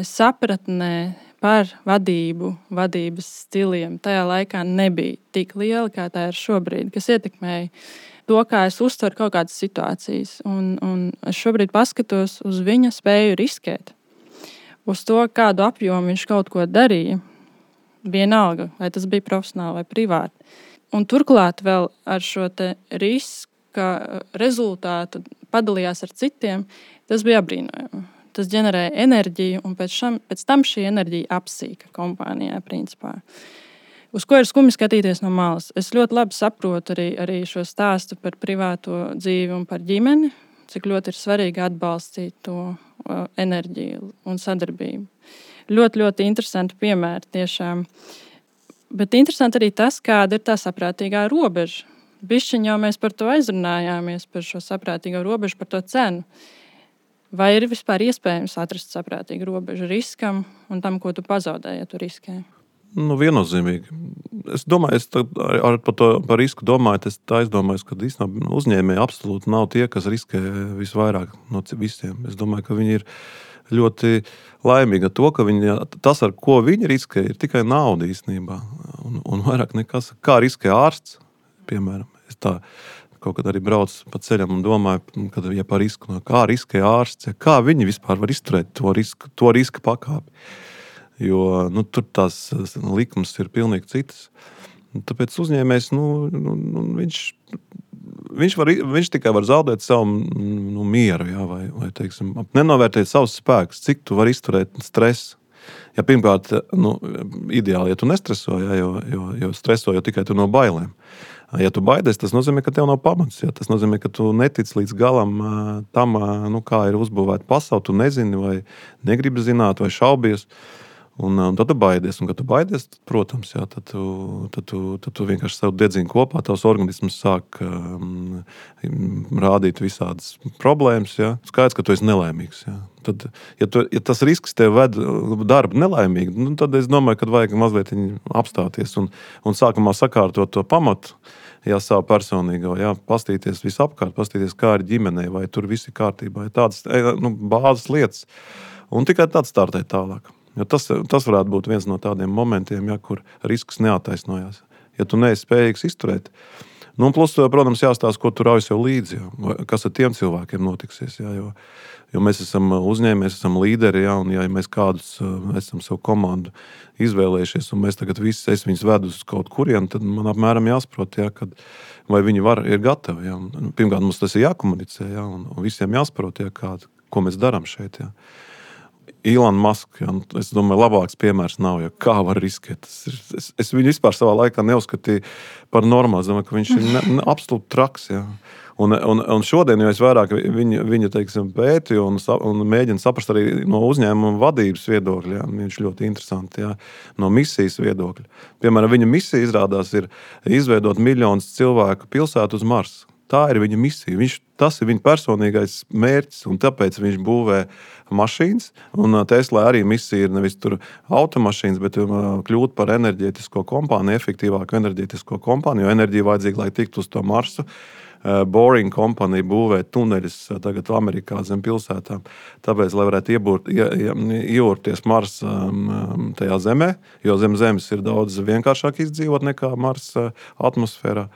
sapratnē par vadību, vadības stiliem tajā laikā nebija tik liela, kā tā ir šobrīd, kas ietekmēja to, kā es uztveru kaut kādas situācijas. Un, un es šobrīd paskatos uz viņa spēju riskēt, uz to, kādu apjomu viņš kaut ko darīja, vienalga, vai tas bija profesionāli vai privāti. Un turklāt vēl ar šo te riska rezultātu padalījās ar citiem, tas bija apbrīnojami. Tas ģenerēja enerģiju, un pēc, šam, pēc tam šī enerģija apsīka kompānijā, principā. Uz ko ir skumji skatīties no malas. Es ļoti labi saprotu arī, arī šo stāstu par privāto dzīvi un par ģimeni, cik ļoti ir svarīgi atbalstīt to uh, enerģiju un sadarbību. Ļoti, ļoti interesanti piemēri tiešām. Bet interesanti arī tas, kāda ir tā saprātīgā robeža. Bišķiņ jau mēs par to aizrunājāmies, par šo saprātīgo robežu, par to cenu. Vai ir vispār iespējams atrast saprātīgu robežu riskam un tam, ko tu pazaudēji, ja tu riskē? Nu, viennozīmīgi. Es domāju, es ar, ar par, to, par risku domāju, es tā aizdomājos, ka īstenībā uzņēmēji absolūti nav tie, kas riskē visvairāk no visiem. Es domāju, ka viņi ir ļoti laimīgi ar to, ka viņi, tas, ar ko viņi riskē, ir tikai nauda īstenībā. Un, un vairāk nekas. Kā riskē ārsts, piemēram. Es tā kaut kad arī braucu pa ceļam un domāju, kad, ja par risku, kā riskē ārsts, ja, kā viņi vispār var izturēt to riska, to riska pakāpi. Jo nu, tur tās likums ir pilnīgi citas. Tāpēc uzņēmējs, nu, nu, viņš, viņš, var, viņš tikai var zaudēt savu nu, mieru, jā, vai, vai teiksim, nenovērtēt savus spēkus, cik tu var izturēt stresu. Ja pirmkārt, nu, ideāli, ja tu nestreso, jā, jo, jo, jo streso jau tikai tu no bailēm. Ja tu baidies, tas nozīmē, ka tev nav pamats. Ja? Tas nozīmē, ka tu netic līdz galam tam, nu, kā ir uzbūvēta pasaule. Tu nezini, vai negribi zināt, vai šaubies. Un, un tad tu baidies. Un, kad tu baidies, tad, protams, jā, tad, tu, tad, tu, tad tu vienkārši sev dedzini kopā. Tavs organisms sāk um, rādīt visādas problēmas. Jā. Skaidrs, ka tu esi nelaimīgs. Jā. Tad, ja, tu, ja tas risks tev ved darbu nelaimīgi, nu, tad es domāju, ka vajag mazliet apstāties un, un sākumā sakārtot to pamatu. Jā, savu personīgo, jā, pastīties visapkārt, pastīties, kā ir ģimenei, vai tur viss ir kārtībā. Tādas nu, bāzes lietas. Un tikai tāds startēt tālāk. Jo tas, tas varētu būt viens no tādiem momentiem, ja, kur risks neataisnojās. Ja tu neesi spējīgs izturēt. Nu, plus, protams, jāstāsta, ko tu rauj sev līdzi. Jā. Kas ar tiem cilvēkiem notiksies. Jā, jo, jo mēs esam uzņēmēji, mēs esam līderi, jā, un ja mēs kādus esam savu komandu izvēlējušies, un mēs tagad visi es viņus vedu uz kaut kurien, tad man apmēram jāsaprot, jā, kad, vai viņi var, ir gatavi. Jā. Pirmkārt, mums tas ir jākomunicē, jā, un, un visiem jāsaprot, jā, kā, ko mēs darām šeit. Jā. Elon Musk, ja, es domāju, labāks piemērs nav, ja kā var riskēt. Es, es viņu vispār savā laikā neuzskatīju par normālu. Es domāju, ka viņš ir ne, ne, absolūti traks. Ja. Un, un, un šodien, jo es vairāk viņu, viņu teiksim, pētīju un, un mēģinu saprast arī no uzņēmuma vadības viedokļa, ja, viņš ļoti interesanti, ja, no misijas viedokļa. Piemēram, viņa misija izrādās ir izveidot miljonus cilvēku pilsētu uz Marsu. Tā ir viņa misija. Viņš, tas ir viņa personīgais mērķis, un tāpēc viņš būvē mašīnas. Un Tesla arī misija ir nevis tur automašīnas, bet kļūt par enerģētisko kompāniju, efektīvāku enerģētisko kompāniju, jo enerģija vajadzīga, lai tiktu uz to Marsu. Boring kompānija būvē tuneļus tagad Amerikā zem pilsētām. Tāpēc, lai varētu iebūrt, ie, iejūrties Marsa tajā zemē, jo zem zemes ir daudz vienkāršāk izdzīvot nekā Marsa atmosfērā.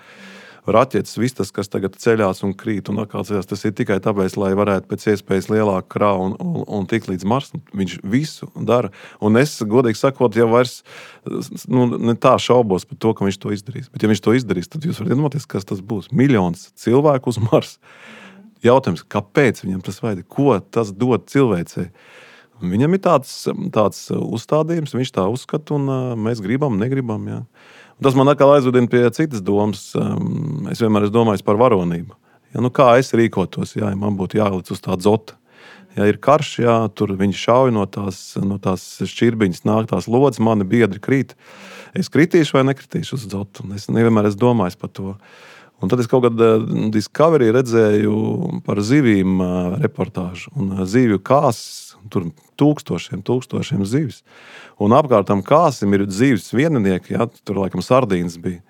Raķetes, viss tas, kas tagad ceļās un krīt un atkal ceļās, tas ir tikai tāpēc, lai varētu pēc iespējas lielāku kravu un, un, un tik līdz Marsam. Viņš visu dara. Un es, godīgi sakot, jau vairs nu, ne tā šaubos par to, ka viņš to izdarīs. Bet ja viņš to izdarīs, tad jūs varat iedomāties, kas tas būs. Miljons cilvēku uz Marsu. Jautājums, kāpēc viņam tas vajag? Ko tas dod cilvēcei? Viņam ir tāds, tāds uzstādījums, viņš tā uzskata un mēs gribam, negribam, jā. Tas man atkal aizvedina pie citas domas. Es vienmēr esmu domājis par varonību. Ja, nu kā es rīkotos, ja man būtu jālic uz tā dzota? Ja ir karš, ja tur viņi šauj no tās, no tās šķirbiņas, nāk tās lodes, mani biedri krīt. Es kritīšu vai nekritīšu uz dzotu? Es nevienmēr esmu domājis par to. Un tad es kaut kad Discovery redzēju par zivīm reportāžu. Un zivju kāsas, tur tūkstošiem, tūkstošiem zivis. Un apkārtam kāsim ir zivis vieninieki, ja, tur laikam sardīnas bija,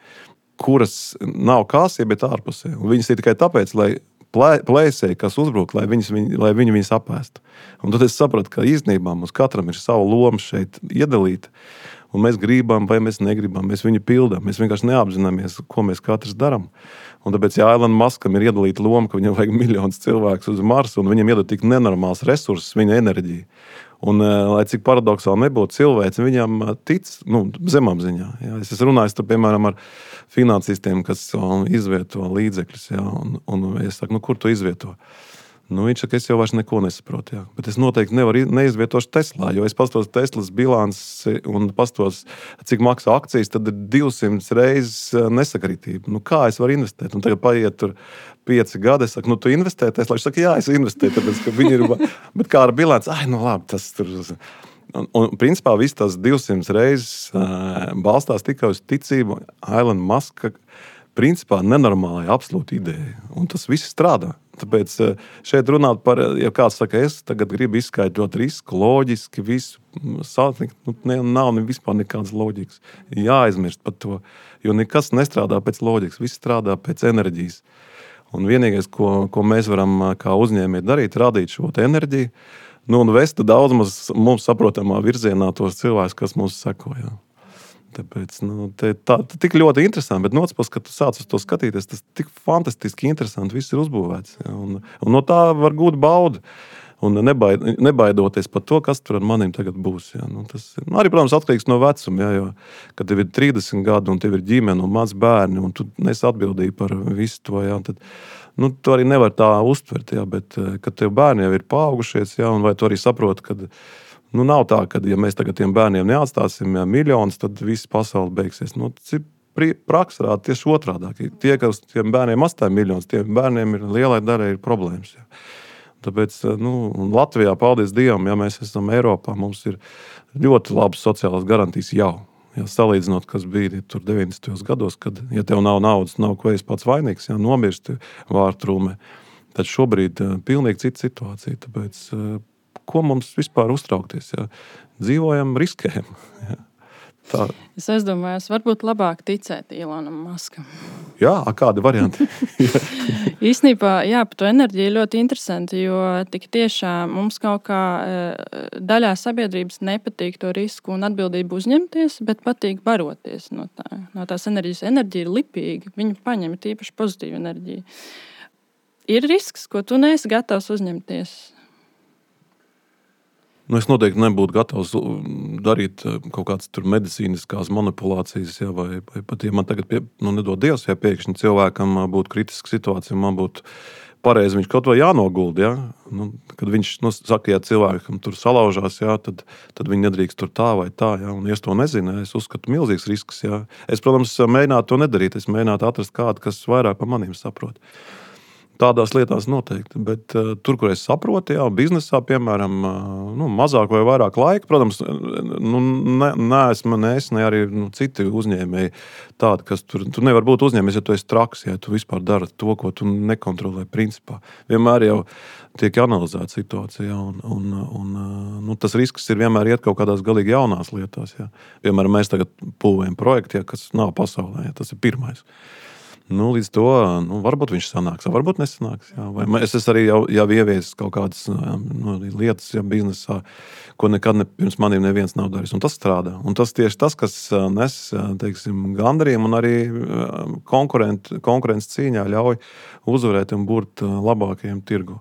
kuras nav kāsie, bet ārpusē. Un viņas ir tikai tāpēc, lai plēsēji, kas uzbruk, lai, viņas, viņ, lai viņi viņas apēstu. Un tad es sapratu, ka īstenībā mums katram ir savu lomu šeit iedalīta. Un mēs gribam, vai mēs negribam, mēs viņu pildām. Mēs vienkārši neapzināmies, ko mēs katrs darām. Un tāpēc, ja Elon Muskam ir iedalīta loma, ka viņam vajag miljonus cilvēkus uz Marsu, un viņam iedod tik nenormāls resursus, viņa enerģija. Un, lai cik paradoksāli nebūtu, cilvēks viņam tic, nu, zemapziņā. Jā. Es esmu runājis, tur, piemēram, ar finansistiem, kas izvieto līdzekļus. Jā, un, un es saku, nu, kur tu izvieto? Nu, viņš saka, es jau vairs neko nesaprotu. Jā. Bet es noteikti nevaru neizvietošu Teslā, jo es pastos Teslas bilanci un pastos, cik maksā akcijas, tad ir divsimt reizes nesakritība. Nu, kā es varu investēt? Un tagad paiet tur pieci gadi, es saku, nu, tu investē Teslā? Viņš saka, jā, es investēju, tāpēc, ka viņi ir, bet kā ar bilanci, ai, nu, labi, tas tur... Un, un principā viss tās divsimt reizes uh, balstās tikai uz ticību Elon Muska, principā nenormālai absolūti ideja. Un tas viss strādā. Tāpēc šeit runāt par, ja kāds saka, es tagad gribu izskaidrot risku, loģiski, visu sātnikt, nu, ne, nav ne vispār nekādas loģikas. Jāaizmirst par to, jo nekas nestrādā pēc loģikas, viss strādā pēc enerģijas. Un vienīgais, ko, ko mēs varam kā uzņēmēji darīt, radīt šo enerģiju, nu, un vest daudz mums, mums saprotamā virzienā tos cilvēkus, kas mums seko. Jā. Tāpēc, nu, te, tā, tā tik ļoti interesanti, bet no otras puses, kad tu sāc uz to skatīties, tas tik fantastiski interesanti, viss ir uzbūvēts. Ja, un, un no tā var gūt baudu. Un nebaid, nebaidoties par to, kas tur ar manim tagad būs. Ja. Nu, tas nu, arī, protams, atkarīgs no vecuma. Ja, jo, kad tev ir trīsdesmit gadi un tev ir ģimene un maz bērni, un tu nesi atbildīgi par visu to, ja, tad nu, tu arī nevar tā uztvert. Ja, bet, kad tev bērni jau ir paaugušies, ja, un vai tu arī saproti, kad nu, nav tā, ka, ja mēs tagad tiem bērniem neatstāsim ja, miljonus, tad viss pasaule beigsies. Nu, praksa rāda tieši otrādāk. Tie, kas tiem bērniem atstāja miljonus, tiem bērniem ir lielai daļai ir problēmas. Ja. Tāpēc nu, Latvijā, paldies Dievam, ja mēs esam Eiropā, mums ir ļoti labas sociālās garantijas jau. Ja, salīdzinot, kas bija tur deviņdesmitajos gados, kad, ja tev nav naudas, nav ko es pats vainīgs, ja, nomirsti vārtrūmē, tad šobrīd pilnīgi cita situācija. Tāpēc ko mums vispār uztraukties? Ja? Dzīvojam, riskējam. Ja? Tā. Es aizdomājos, varbūt labāk ticēt Elonam Muskam. Jā, kādi varianti? Īstenībā, jā, par to enerģiju ļoti interesanti, jo tik tiešām mums kaut kā daļā sabiedrības nepatīk to risku un atbildību uzņemties, bet patīk baroties no tā. No tās enerģijas. Enerģija ir lipīga, viņa paņem tīpaši pozitīvu enerģiju. Ir risks, ko tu neesi gatavs uzņemties. Nu, es noteikti nebūtu gatavs darīt kaut kādas tur medicīniskās manipulācijas, ja, vai, vai pat, ja man tagad, pie, nu, nedod Dievs, ja pēkšņi cilvēkam būtu kritiska situācija, man būtu pareizi viņš kaut vai jānogulda. Ja? Nu, kad viņš nu, saka, ja cilvēkam tur salaužās, ja, tad, tad viņi nedrīkst tur tā vai tā. Ja? Un, ja es to nezinu, es uzskatu milzīgs risks. Ja? Es, protams, mēģinātu to nedarīt. Es mēģinātu atrast kādu, kas vairāk par maniem saprot. Tādās lietās noteikti, bet uh, tur, kur es saprotu, jā, biznesā, piemēram, uh, nu, mazāk vai vairāk laika, protams, nu, ne, neesmu ne es, ne arī nu, citi uzņēmēji tādi, kas tur, tu nevar būt uzņēmējs, ja tu esi traks, ja tu vispār dari to, ko tu nekontrolē principā. Vienmēr jau tiek analizēta situācija, un, un, un nu, tas risks ir vienmēr iet kaut kādās galīgi jaunās lietās. Ja. Piemēram, mēs tagad būvējam projektu, ja, kas nav pasaulē, ja, tas ir pirmais. Nu, līdz to, nu, varbūt viņš sanāks, varbūt nesanāks. Jā. Vai es esmu arī jau, jau ieviesis kaut kādas nu, lietas jā, biznesā, ko nekad ne, pirms maniem neviens nav darījis. Un tas strādā. Un tas tieši tas, kas nes, teiksim, gandarījumu un arī konkurences cīņā ļauj uzvarēt un būt labākajiem tirgu.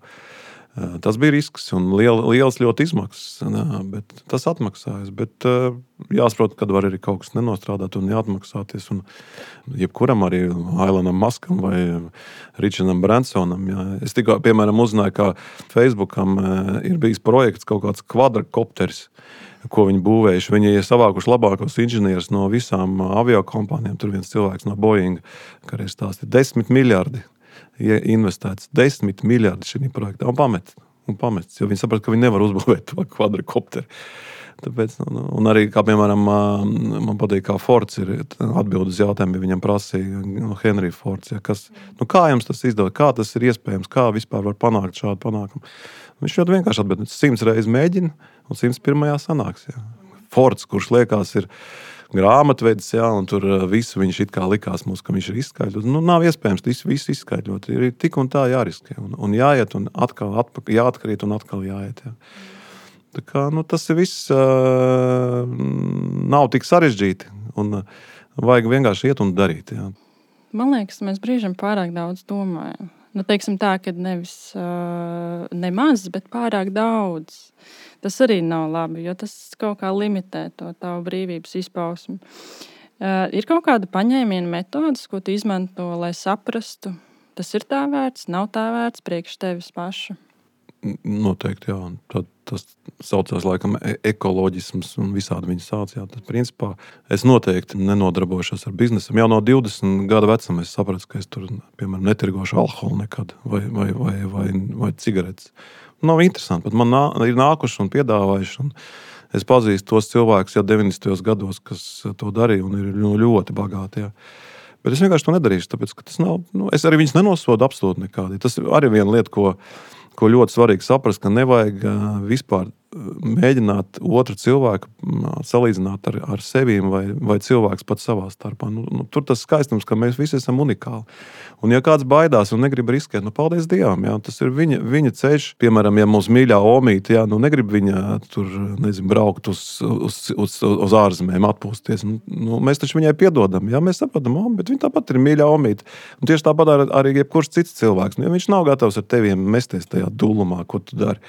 Tas bija risks un liel, liels ļoti izmaksas, bet tas atmaksājas. Bet jāsaprot, kad var arī kaut kas nenostrādāt un jāatmaksāties. Un jebkuram arī Ailanam Maskam vai Richardam Bransonam. Jā. Es tikko, piemēram, uzzināju, ka Facebookam ir bijis projekts kaut kāds kvadrakopters, ko viņi būvējuši. Viņi ir savākuši labākos inženierus no visām aviokompānijām. Tur viens cilvēks no Boeing, kā arī stāstīja, desmit miljardi. Investēts desmit miljardi šī projektā un pamet, un pamests, jo viņi saprat, ka viņi nevar uzbūvēt to kvadrakopteri. Tāpēc, un arī, kā piemēram, man patīk, kā Fords ir atbild uz jautājumu, ja viņam prasīja no Henry Fords, ja, kas, nu kā jums tas izdod, kā tas ir iespējams, kā vispār var panākt šādu panākumu. Viņš ļoti vienkārši atbild, simts reizes mēģina un simts pirmajā sanāks. Ja. Fords, kurš liekas ir grāmatvedis, jā, un tur visu viņš it kā likās mums, ka viņš ir izskaidrot. Nu, nav iespējams visu, visu izskaidrot. Ir tik un tā jāriskē. Un, un jāiet, un atkal atpakaļ, jāatkrīt, un atkal jāiet. Jā. Tā kā, nu, tas ir viss uh, nav tik sarežģīti. Un uh, vajag vienkārši iet un darīt. Jā. Man liekas, mēs brīžam pārāk daudz domājam. Nu, teiksim tā, ka nevis uh, nemaz, bet pārāk daudz. Tas arī nav labi, jo tas kaut kā limitē to tavu brīvības izpausmi. Uh, ir kaut kāda paņēmiena metodas, ko tu izmanto, lai saprastu, tas ir tā vērts, nav tā vērts priekš tevis paša? Noteikti, jā. Tad, tas saucās laikam ekoloģisms un visādi viņi sauc. Jā. Tad, principā, es noteikti nenodarbošos ar biznesam. Jau no divdesmit gadu vecuma es sapratu, ka es tur, piemēram, netirgošu alkoholu nekad vai, vai, vai, vai, vai cigaretes. Nav interesanti, bet man nā, ir nākuši un piedāvājuši. Un es pazīstu tos cilvēkus jau deviņdesmitajos gados, kas to darīja un ir ļoti bagāti. Jā. Bet es vienkārši to nedarīšu, tāpēc, ka tas nav, nu, es arī viņus nenosodu absolūti nekādi. Tas ir arī viena lieta, ko, ko ļoti svarīgi saprast, ka nevajag vispār mēģināt otru cilvēku salīdzināt ar, ar sevīm vai, vai cilvēks pats savā starpā. Nu, nu, tur tas skaistums, ka mēs visi esam unikāli. Un ja kāds baidās un negrib riskēt, nu paldies Dievam, jā, tas ir viņa, viņa ceļš. Piemēram, ja mums mīļā omīte, jā, nu negrib viņa tur, nezinu, braukt uz, uz, uz, uz ārzemēm, atpūsties. Nu, nu, mēs taču viņai piedodam, jā, mēs saprotam, oh, bet viņa tāpat ir mīļā omīte. Un tieši tāpat ar, arī jebkurš cits cilvēks. Nu, ja viņš nav gatavs ar teviem mesties tajā dulumā, ko tu dari,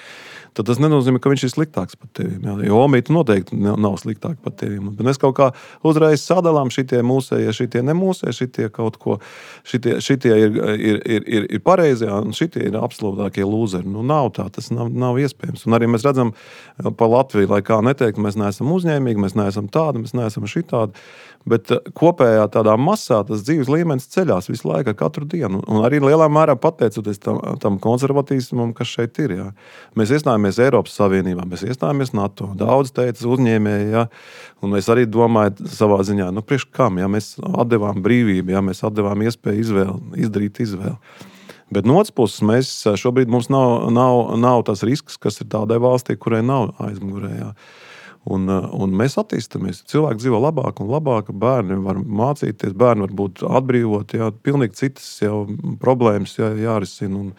tad tas nenozīmē, ka viņš ir sliktāks par tevi. Jo omīte noteikti nav sliktāka par tevi. Bet mēs kaut kā uzreiz sadalām šitie mūsējie, šitie nemūsējie, šitie kaut ko, šitie, šitie ir, ir, ir, ir, ir pareizie, un šitie ir absolūtākie lūzeri. Nu, nav tā, tas nav, nav iespējams. Un arī mēs redzam pa Latviju, lai kā neteikt, mēs neesam uzņēmīgi, mēs neesam tādi, mēs neesam šitādi. Bet kopējā tādā masā tas dzīves līmenis ceļās visu laiku, katru dienu. Un arī lielā mērā pateicoties tam, tam konservatīsmam, kas šeit ir. Jā. Mēs iestājāmies Eiropas Savienībā, mēs iestājāmies NATO. Daudz teica uzņēmēji, jā. Un mēs arī domājam savā ziņā, nu priekš kam, ja mēs atdevām brīvību, ja mēs atdevām iespēju izvēli, izdarīt izvēli. Bet no otras puses, mēs šobrīd mums nav, nav, nav tas risks, kas ir tādai valstī, kurai nav aizmugurē. Jā. Un, un mēs attīstamies. Cilvēki dzīvo labāk un labāk, bērni var mācīties, bērni var būt atbrīvoti, jā, pilnīgi citas jau problēmas jā, jārisina. Un,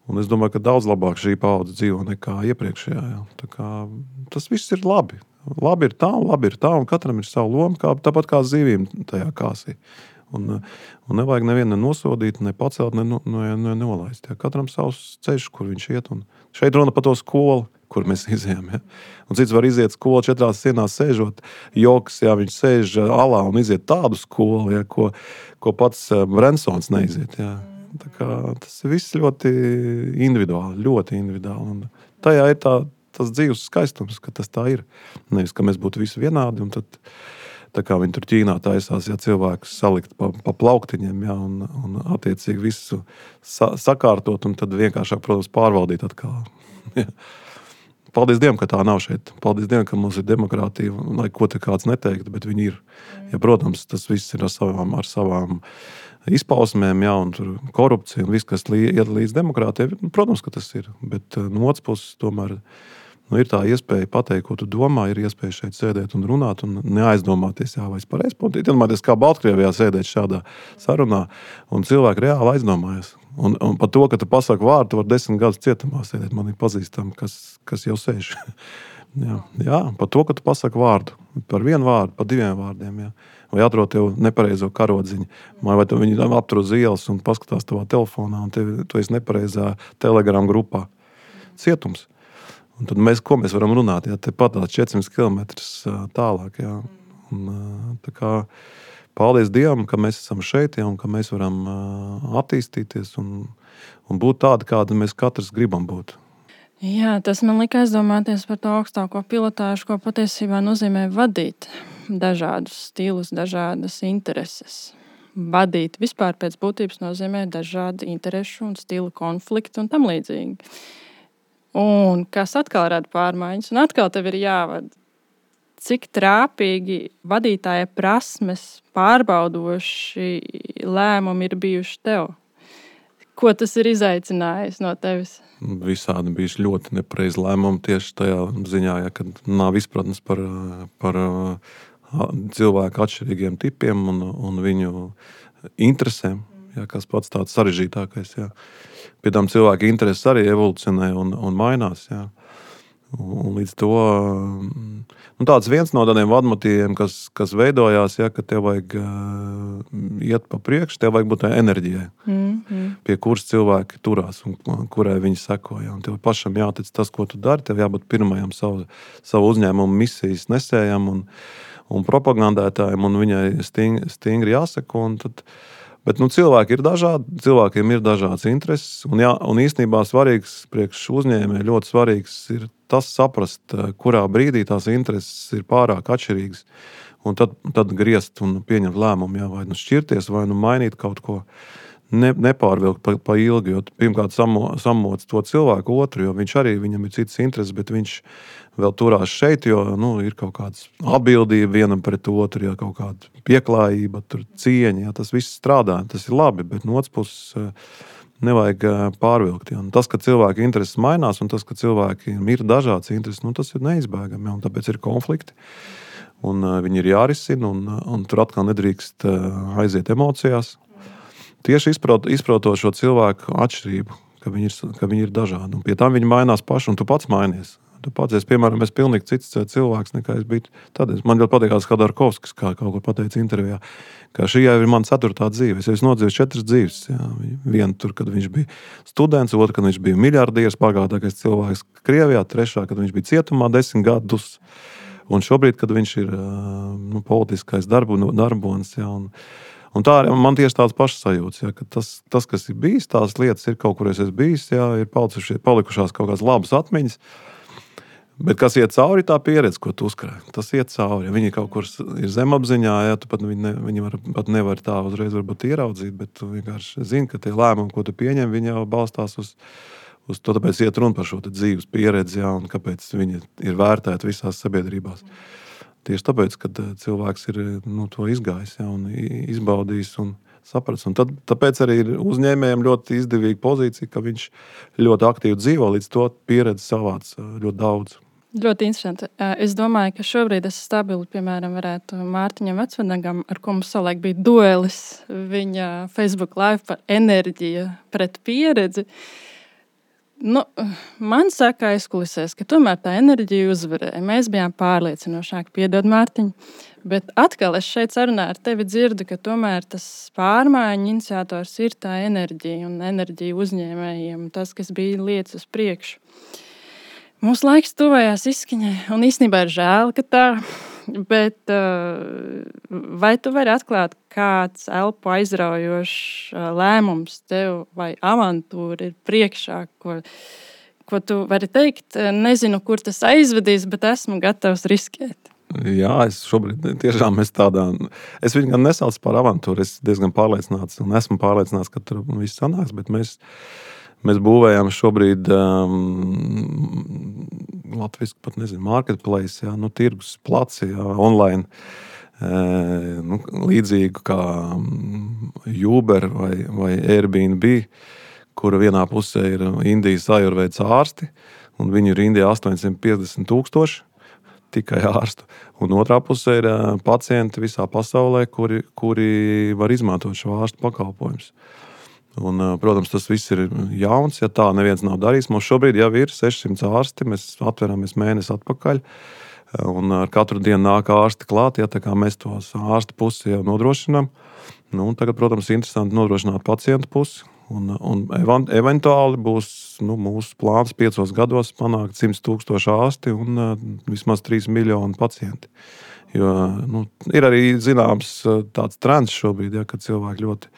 un es domāju, ka daudz labāk šī paudze dzīvo nekā iepriekšējā. Jā. Tā kā, tas viss ir labi. Labi ir tā un labi ir tā, un katram ir savu lomu, kā, tāpat kā zivīm tajā kāsī. Un, un nevajag nevienu nosodīt, ne pacelt, ne, ne, ne nolaist. Jā. Katram savs ceļš, kur viņš iet. Un šeit runa par to skolu, kur mēs izējām. Ja? Un cits var iziet skolu četrās sienās sēžot. Joks, ja viņš sēž alā un iziet tādu skolu, ja, ko, ko pats Bransons neiziet. Ja? Tā kā tas viss ļoti individuāli, ļoti individuāli. Un tajā ir tā, tas dzīves skaistums, ka tas tā ir. Nevis, ka mēs būtu visi vienādi, un tad, tā kā viņi tur Ķīnā taisās, ja cilvēkus salikt pa, pa plauktiņiem, ja, un, un attiecīgi visu sa, sakārtot, un tad vienkāršāk, protams, pārvaldīt atkal. Ja. Paldies Dievam, ka tā nav šeit. Paldies Dievam, ka mums ir demokrātija, lai ko te kāds neteiktu, bet viņi ir. Ja, protams, tas viss ir ar savām, ar savām izpausmēm, ja, un tur korupcija un viss, kas iet līdz demokrātijai. Protams, ka tas ir, bet no otras puses tomēr nu, ir tā iespēja pateikt, ko tu domā, ir iespēja šeit sēdēt un runāt un neaizdomāties, jā, vai es pareizi pateicu. Iedomājieties, kā Baltkrievijā sēdēt šādā sarunā, un cilvēki reāli aizdomājas. Un, un par to, ka tu pasaki vārdu, tu var desmit gadus cietumā sēdēt. Man ir pazīstami, kas, kas jau sēž. jā, jā, par to, ka tu pasaki vārdu. Par vienu vārdu, par diviem vārdiem. Jā. Vai atrod tev nepareizo karodziņu. Vai tu viņu aptur uz ielas un paskatās tavā telefonā, un tev, tu esi nepareizā Telegram grupā. Cietums. Un tad mēs, ko mēs varam runāt? Jā, te pat četrsimt kilometrus tālāk. Jā. Un, tā kā, paldies Dievam, ka mēs esam šeit, jā, un ka mēs varam attīstīties un, un būt tādi, kādi mēs katrs gribam būt. Jā, tas man lika aizdomāties par to augstāko pilotāžu, ko patiesībā nozīmē vadīt dažādus stilus, dažādas intereses. Vadīt vispār pēc būtības nozīmē dažādi interešu un stilu konfliktu un tam līdzīgi. Un kas atkal rada pārmaiņas, un atkal tev ir jāvada. Cik trāpīgi vadītāja prasmes pārbaudoši lēmumi ir bijuši tev? Ko tas ir izaicinājis no tevis? Visādi bijuši ļoti nepareizi lēmumi tieši tajā ziņā, ja, kad nav izpratnes par, par cilvēku atšķirīgiem tipiem un, un viņu interesēm, ja, kas pats tāds sarežģītākais. Ja. Pie tam cilvēku intereses arī evolucionē un, un mainās. Ja. Un līdz to nu, tāds viens no tādiem vadmotīviem, kas, kas veidojās, ja, ka tev vajag uh, iet pa priekšu, tev vajag būt tā enerģijai, mm-hmm. pie kuras cilvēki turās un kurai viņi seko. Ja. Un tev pašam jātic tas, ko tu dari, tev jābūt pirmajam savu, savu uzņēmumu misijas nesējam un, un propagandētājiem, un viņai sting, stingri jāseko. Un tad, bet nu, cilvēki ir dažādi, cilvēkiem ir dažādas intereses, un, jā, un īstenībā svarīgs priekš uzņēmē, ļoti svarīgs ir tas saprast, kurā brīdī tās intereses ir pārāk atšķirīgas, un tad, tad griezt un pieņemt lēmumu, jā, vai nu šķirties, vai nu mainīt kaut ko, ne, nepārvilkt pa, pa ilgi, jo pirmkārt samo, samoc to cilvēku otru, jo viņš arī, viņam ir citas intereses, bet viņš vēl turās šeit, jo nu, ir kaut kādas atbildība vienam pret otru, ja, kaut kāda pieklājība, tur cieņa, ja, tas viss strādā, tas ir labi, bet no otras puses nevajag pārvilkt. Ja. Tas, ka cilvēki intereses mainās un tas, ka cilvēkiem ir dažādas intereses, nu, tas ir neizbēgami, ja, un tāpēc ir konflikti. Un uh, viņi ir jārisina, un, un tur atkal nedrīkst uh, aiziet emocijās. Tieši izprot, izprotot šo cilvēku atšķirību, ka viņi, ir, ka viņi ir dažādi. Un pie tam viņi mainās paši, un tu pats mainies. Tu pats, es, piemēram, es pilnīgi cits cilvēks, nekā es biju. Tad man ļoti patīkās, kā Darkovskis, kā kaut ko pateica intervijā, ka šī jau ir mana ceturtā dzīve. Es esmu nodzīvojis četras dzīves. Jā. Vienu tur, kad viņš bija students, otru, kad viņš bija miljardieris, bagātākais cilvēks Krievijā, trešā, kad viņš bija cietumā desmit gadus. Un šobrīd, kad viņš ir nu, politiskais darbu, darbonis, jā, un, un tā man tieši tāds pašs sajūts, jā, ka tas, tas, kas ir bijis, tās lietas ir kaut kur es esmu bijis, jā, ir palikušās kaut kādas labas atmiņas. Bet kas iet cauri, tā pieredze, ko tu uzkrāji, tas iet cauri. Ja viņi kaut kur ir zemapziņā, ja, tu pat, viņi, ne, viņi var, pat nevar tā uzreiz varbūt ieraudzīt, bet tu vienkārši zini, ka tie lēmumi, ko tu pieņem, viņi jau balstās uz, uz to, tāpēc iet runa par šo dzīves pieredzi, ja, un kāpēc viņi ir vērtēti visās sabiedrībās. Tieši tāpēc, kad cilvēks ir nu, to izgājis, ja, un izbaudījis un saprast. Un tad, tāpēc arī ir uzņēmējiem ļoti izdevīga pozīcija, ka viņš ļoti aktīvi dzīvo, līdz to pieredzi savāc ļoti daudz. Ļoti interesanti. Es domāju, ka šobrīd es stabili, piemēram, varētu Mārtiņam Vecvanagam, ar ko mums savulaik bija duelis viņa Facebook live par enerģiju pret pieredzi. Nu, man saka aizkulisēs, ka tomēr tā enerģija uzvarēja. Mēs bijām pārliecinošāki, piedod Mārtiņ, bet atkal es šeit sarunā ar tevi dzirdu, ka tomēr tas pārmaiņu iniciators ir tā enerģija un enerģija uzņēmējiem, tas, kas bija lietas uz priekšu. Mūsu laiks tuvējās izskaņai, un īstenībā ir žēl, ka tā, Bet vai tu vari atklāt, kāds elpu aizraujošs lēmums tev vai avantūra ir priekšā, ko, ko tu vari teikt? Nezinu, kur tas aizvedīs, bet esmu gatavs riskēt. Jā, es šobrīd tiešām esmu tādā. Es viņu gan nesaucu par avantūru. Es diezgan pārliecināts un esmu pārliecināts, ka tur viss sanāks, bet mēs, mēs būvējam šobrīd um, Latvijas pat nezinu, marketplace, jā, nu, tirgus placi, jā, online, e, nu, līdzīgu kā Uber vai, vai Airbnb, kura vienā pusē ir Indijas ajurvēdas ārsti, un viņi ir Indijā astoņsimt piecdesmit tūkstoši. Tikai ārstu. Un otrā pusē ir pacienti visā pasaulē, kuri, kuri var izmantot šo ārstu pakalpojumus. Un, protams, tas viss ir jauns, ja tā neviens nav darījis. Mums šobrīd jau ir sešsimt ārsti, mēs atveramies mēnesi atpakaļ, un ar katru dienu nāk ārsti klāt, ja tā kā mēs tos ārstu pusi jau nodrošinām. Nu, tagad, protams, interesanti nodrošināt pacientu pusi. Un, un eventuāli būs nu, mūsu plāns piecos gados panākt simt tūkstoši ārsti un uh, vismaz trīs miljoni pacienti. Jo nu, ir arī zināms tāds trends šobrīd, ja, kad cilvēki ļoti,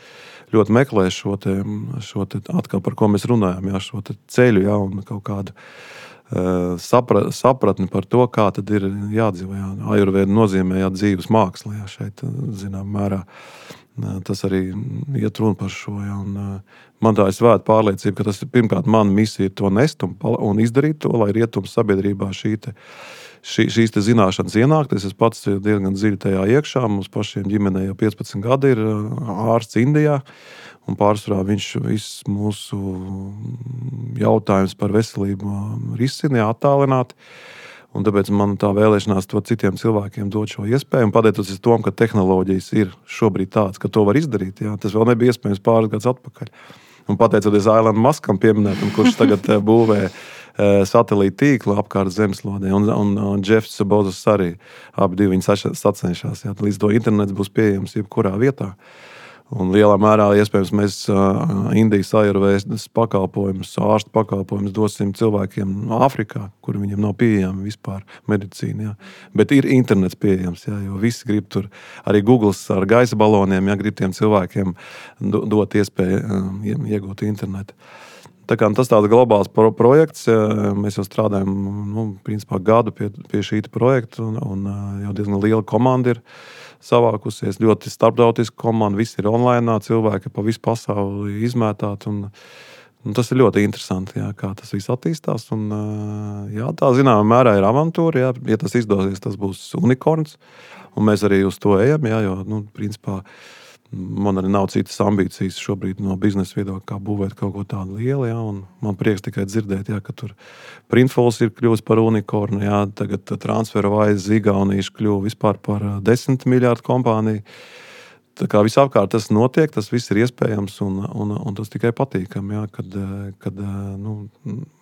ļoti meklē šo, te, šo te, atkal par ko mēs runājam, ja, šo te ceļu, ja, un kaut kādu uh, sapra, sapratni par to, kā tad ir jādzīvo. Ja. Ajurvēda nozīmē ja, dzīves māksla, ja, šeit zinām mērā. Tas arī iet runa par šo. Ja, un, man tā ir svēta pārliecība, ka tas ir pirmkārt mana misija ir to nest un, un izdarīt to, lai rietums sabiedrībā šī te, šī, šīs te zināšanas ienākt. Es pats diezgan dziļi tajā iekšā. Mums pašiem ģimenē jau piecpadsmit gadi ir ārsts Indijā. Un pārsvarā viņš visus mūsu jautājumus par veselību risina attālināti. Un tāpēc man tā vēlēšanās to citiem cilvēkiem dot šo iespēju. Un pateicoties tam, ka tehnoloģijas ir šobrīd tādas, ka to var izdarīt, jā, tas vēl nebija iespējams pāris gadus atpakaļ. Un pateicoties Elonam Muskam pieminētam, kurš tagad būvē satelīta tīklu apkārt zemeslodē, un, un, un Jeffs Bezos arī abi divi viņi sacenšas. Jā, līdz to internets būs pieejams jebkurā vietā. Un lielā mērā, iespējams, mēs Indijas ajurvēdas pakalpojumus, ārstu pakalpojumus dosim cilvēkiem Āfrikā, kur viņiem nav pieejami vispār medicīna. Jā. Bet ir internets pieejams, jā, jo visi grib tur, arī Google ar gaisa baloniem, jā, grib tiem cilvēkiem dot iespēju iegūt internetu. Tā kā tas tāds globāls pro- projekts, mēs jau strādājam nu, principā gadu pie, pie šī projekta, un, un jau diezgan liela komanda ir savākusies, ļoti starptautiska komanda, visi ir online, cilvēki pa visu pasauli izmētāti, un, un tas ir ļoti interesanti, jā, kā tas viss attīstās, un jā, tā zināmā mērā ir avantūra, jā, ja tas izdosies, tas būs unikorns, un mēs arī uz to ejam, jā, jo, nu, principā, man arī nav citas ambīcijas šobrīd no biznesa viedokļa, kā būvēt kaut ko tādu lielu, jā, un man prieks tikai dzirdēt, jā, ka tur Printfuls ir kļuvis par unikornu, jā, tagad TransferWise Igaunīši kļuva vispār par desmit miljārdu kompāniju. Tā kā visapkārt tas notiek, tas viss ir iespējams, un, un, un tas tikai patīkam, jā, kad, kad nu,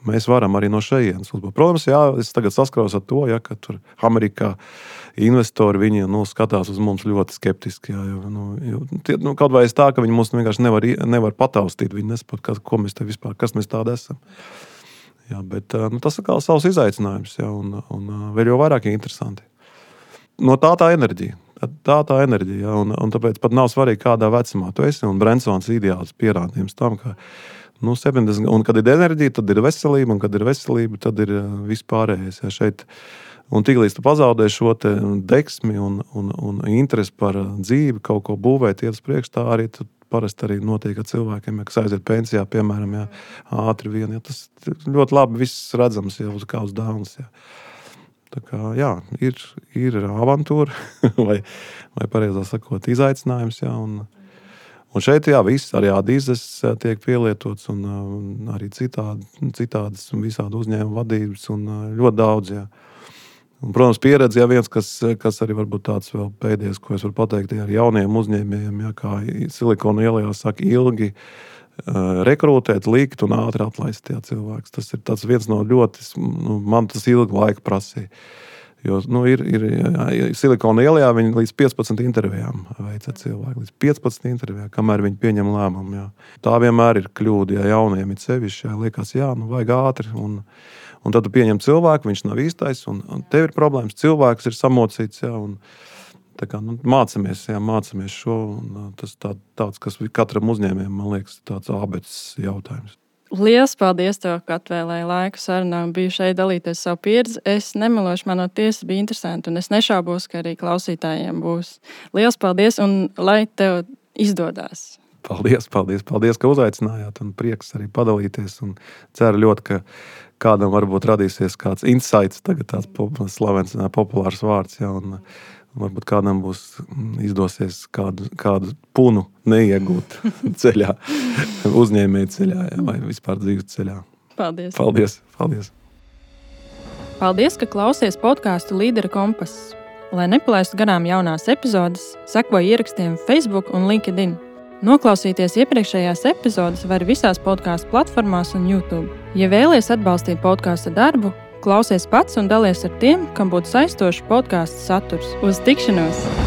mēs varam arī no šejienes uzbūt. Protams, jā, es tagad saskaros ar to, jā, ka tur Amerikā investori viņi nu, skatās uz mums ļoti skeptiski. Jā, jo, nu, jo, tie, nu, kaut vai es tā, ka viņi mums vienkārši nevar, nevar pataustīt, viņi nesaprot, ko mēs te vispār, kas mēs tādi esam. Jā, bet nu, tas ir kā savs izaicinājums, jā, un, un vēl jau vairāk interesanti. No tā tā enerģija. Tā tā enerģija, ja, un, un tāpēc pat nav svarīgi, kādā vecumā tu esi, un Bransons ideāls pierādījums tam, ka, nu, septiņdesmit, un kad ir enerģija, tad ir veselība, un kad ir veselība, tad ir vispārējais, ja, šeit. Un tiklīdz tu pazaudē šo te deksmi un, un, un interesi par dzīvi, kaut ko būvēt, iet uz priekšu, tā arī tu parasti arī notiek ar cilvēkiem, ja, kas aiziet pensijā, piemēram, ja, ātri vien, ja, tas ļoti labi viss redzams, ja, uz kā uz dāvnas, ja. Tā kā, jā, ir, ir avantūra, vai, vai pareizā sakot, izaicinājums, jā, un, un šeit, jā, viss, arī ādīzes tiek pielietots, un, un arī citādi, citādas un visādi uzņēmuma vadības, un ļoti daudz, jā. Un, protams, pieredze, jā, viens, kas, kas arī varbūt tāds vēl pēdējais, ko es varu pateikt, ar jauniem uzņēmējiem, jā, kā Silikona ielā saka, ilgi rekrūtēt, likt un ātri atlaist jā, cilvēks. Tas ir tāds viens no ļoti, nu, man tas ilgi laika prasīja. Jo, nu, ir, ir jā, Silikona ielā viņi līdz piecpadsmit intervijām veica cilvēki, līdz piecpadsmit intervijām, kamēr viņi pieņem lēmumu, jā. Tā vienmēr ir kļūda, ja jauniem ir sevišķi, jā, liekas, jā, nu, vajag ātri, un, Un tad tu pieņem cilvēku, viņš nav īstais, un, un tev ir problēmas. Cilvēks ir samocīts, jā, un tā kā, nu, mācamies, jā, mācamies šo. Un, tas tā, tāds, kas katram uzņēmējam, man liekas, tāds ābeces jautājums. Lielas paldies, tev, ka atvēlēji laiku sarunā un biju šeit dalīties savu pieredzi. Es nemelošu, man no tiesas bija interesanti, un es nešaubos, ka arī klausītājiem būs. Lielas paldies, un lai tev izdodās. Paldies, paldies, paldies, ka uzaicinājāt, un prieks arī padalīties. Un ceru ļoti, ka kādam varbūt radīsies kāds insights, tagad tāds slavens, populārs vārds, jā, un varbūt kādam būs izdosies kādu, kādu punu neiegūt ceļā, uzņēmēju ceļā, jā, vai vispār dzīves ceļā. Paldies. Paldies, paldies. Paldies, ka klausies podcastu Līdera kompass. Lai nepalaistu garām jaunās epizodes, sekoji ierakstiem Facebook un LinkedIn. Noklausīties iepriekšējās epizodes var visās podcastu platformās un YouTube. Ja vēlies atbalstīt podkasta darbu, klausies pats un dalies ar tiem, kam būtu saistošs podkasta saturs. Uz tikšanos!